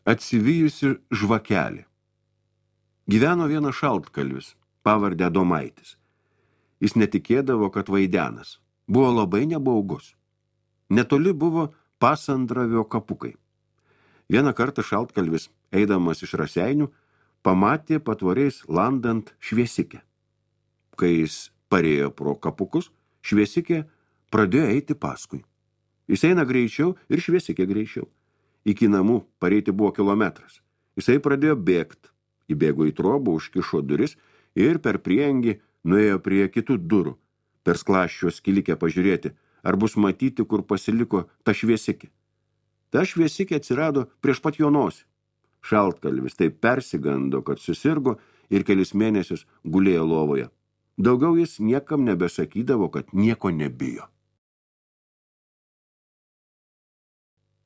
Atsivijusi žvakelė. Gyveno vienas šaltkalvis, pavardę Adomaitis. Jis netikėdavo, kad vaidenas. Buvo labai nebaugus. Netoli buvo Pasandravio kapukai. Vieną kartą šaltkalvis, eidamas iš Raseinių, pamatė patvoriais landant šviesikę. Kai jis parėjo pro kapukus, šviesikė pradėjo eiti paskui. Jis eina greičiau ir šviesikė greičiau. Iki namų pareiti buvo kilometras. Jisai pradėjo bėgt. Įbėgo į trobą, užkišo duris ir per priengį nuėjo prie kitų durų. Per sklaščio skilikę pažiūrėti, ar bus matyti, kur pasiliko ta šviesikė. Ta šviesikė atsirado prieš pat jo nosį. Šaltkalvis taip persigando, kad susirgo ir kelis mėnesius gulėjo lovoje. Daugiau jis niekam nebesakydavo, kad nieko nebijo.